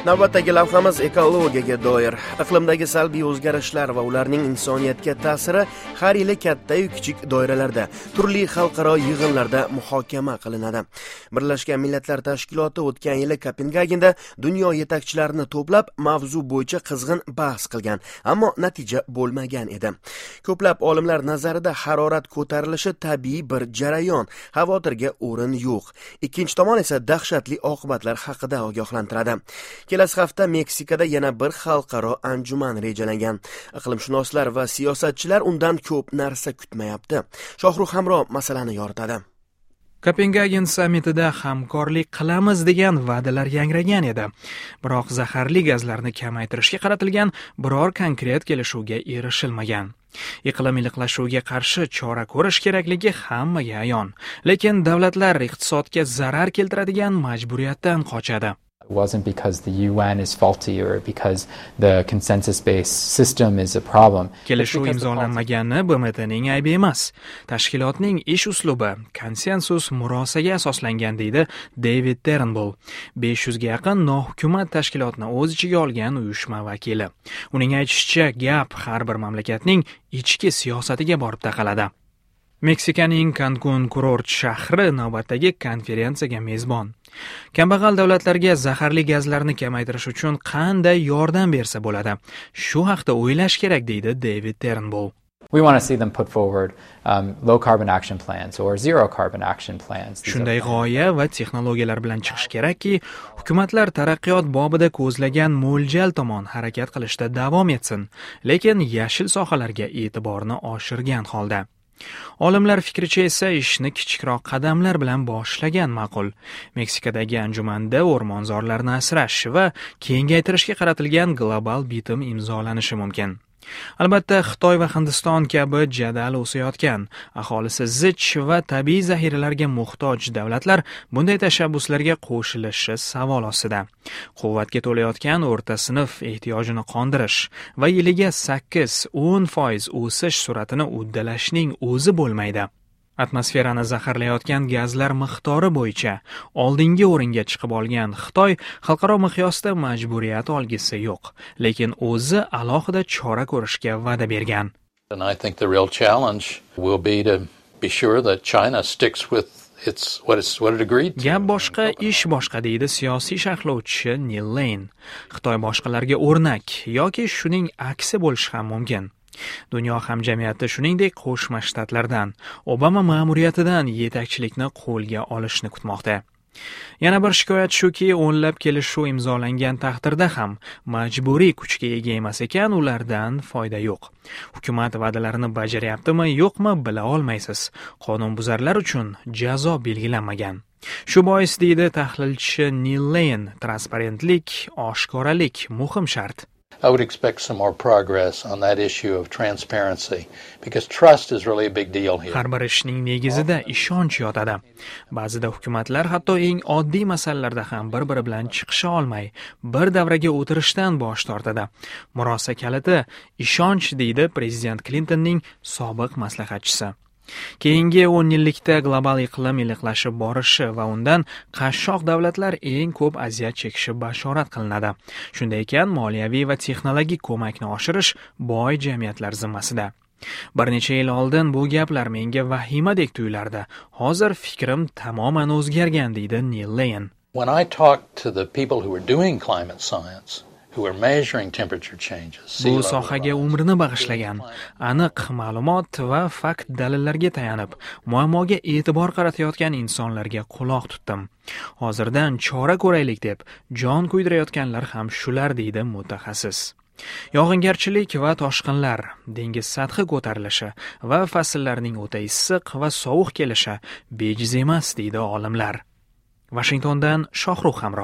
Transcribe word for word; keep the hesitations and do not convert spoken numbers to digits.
Navbatdagi lavhamiz ekologiyaga doir. Iqlimdagi salbiy o'zgarishlar va ularning insoniyatga ta'siri har yili katta-yu kichik doiralarda, turli xalqaro yig'inlarda muhokama qilinadi. Birlashgan Millatlar Tashkiloti o'tgan yili Kopengagenda dunyo yetakchilarini to'plab, mavzu bo'yicha qizg'in bahs qilgan, ammo natija bo'lmagan edi. Ko'plab olimlar nazarida harorat ko'tarilishi tabiiy bir jarayon, xavotirga o'rin yo'q. Ikkinchi tomon esa dahshatli oqibatlar haqida ogohlantiradi. Kelasi hafta Meksikada yana bir xalqaro anjuman rejalangan. Iqlimshunoslar va siyosatchilar undan ko'p narsa kutmayapti. Shohrux Hamro masalani yoritadi. Kopengagen sammitida hamkorlik qilamiz degan va'dalar yangragan edi. Biroq zaharli gazlarni kamaytirishga qaratilgan biror konkret kelishuvga erishilmagan. Iqlim iliqlashuviga qarshi chora ko'rish kerakligi hammaga ayon. Lekin davlatlar iqtisodga zarar keltiradigan majburiyatdan qochadi. It wasn't because the U N is faulty or because the consensus-based system is a problem. Kelishuv imzolanmagani B M Tning aybi emas. Tashkilotning ish uslubi konsensus, murosaga asoslangan, deydi David Turnbull, besh yuz ga yaqin nohukumat tashkilotni o'z ichiga olgan uyushma vakili. Uning aytishicha, gap har bir mamlakatning ichki siyosatiga borib taqaladi. Meksikaning Kankun kurort shahri navbatdagi konferensiyaga mezbon. Kambag'al davlatlarga zaharli gazlarni kamaytirish uchun qanday yordam bersa bo'ladi? Shu haqda o'ylash kerak, deydi David Turnbull. We want to see them put forward um, low carbon action plans or zero carbon action plans. Shunday g'oya va texnologiyalar bilan chiqish kerakki, hukumatlar taraqqiyot bobida ko'zlagan mo'ljal tomon harakat qilishda davom etsin, lekin yashil sohalarga e'tiborni oshirgan holda. Olimlar fikricha esa ishni kichikroq qadamlar bilan boshlagan ma'qul. Meksikadagi anjumanda o'rmonzorlarni asrash va kengaytirishga qaratilgan global bitim imzolanishi mumkin. Albatta, Xitoy va Hindiston kabi jadal o'sayotgan, aholisi zich va tabiiy zaxiralarga muhtoj davlatlar bunday tashabbuslarga qo'shilishi savol ostida. Quvvatga to'layotgan o'rta sinf ehtiyojini qondirish va yiliga sakkiz-o'n foiz o'sish sur'atini uddalashning o'zi bo'lmaydi. Atmosferani zaharlayotgan gazlar miqdori bo'yicha oldingi o'ringa chiqib olgan Xitoy xalqaro miqyosda majburiyat olgisi yo'q, lekin o'zi alohida chora ko'rishga va'da bergan. And I think the real challenge will be to be sure that China sticks with its what it's what it agreed to. Gap boshqa, ish boshqa, deydi siyosiy sharhlovchi Nil Lane. Xitoy boshqalarga o'rnak yoki shuning aksi bo'lishi ham mumkin. Dunyo hamjamiyati, shuningdek, Qo'shma Shtatlardan, Obama ma'muriyatidan yetakchilikni qo'lga olishni kutmoqda. Yana bir shikoyat shuki, o'nlab kelishuv imzolangan taqdirda ham majburiy kuchga ega emas ekan, ulardan foyda yo'q. Hukumat va'dalarini bajaryaptimi, yo'qmi, bila olmaysiz. Qonunbuzarlar uchun jazo belgilanmagan. Shu bois, deydi tahlilchi Nil Lane, transparentlik, oshkoralik muhim shart. I would expect some more progress on that issue of transparency because trust is really a big deal here. Har bir ishning negizida ishonch yotadi. Ba'zida hukumatlar hatto eng oddiy masalalarda ham bir-biri bilan chiqisha olmay, bir davraga o'tirishdan bosh tortadi. Murosa kaliti ishonch, deydi prezident Klintonning sobiq maslahatchisi. Keyingi o'n yillikda global iqlim iliqlashib borishi va undan qashshoq davlatlar eng ko'p aziyat chekishi bashorat qilinadi. Shunday ekan, moliyaviy va texnologik ko'makni oshirish boy jamiyatlar zimmasida. Bir necha yil oldin bu gaplar menga vahimadek tuyulardi. Hozir fikrim tamoman o'zgargan, deydi Nil Lane. When I talk to the people who are doing climate science, who are measuring temperature changes, Bu sohaga umrini bag'ishlagan, aniq ma'lumot va fakt dalillarga tayanib, muammoga e'tibor qaratayotgan insonlarga quloq tutdim. Hozirdan chora ko'raylik deb jon kuydirayotganlar ham shular, deydi mutaxassis. Yog'ingarchilik va toshqinlar, dengiz sathi ko'tarilishi va fasllarning o'ta issiq va sovuq kelishi bejiz emas, deydi olimlar. Vashingtondan Shohrux Hamro.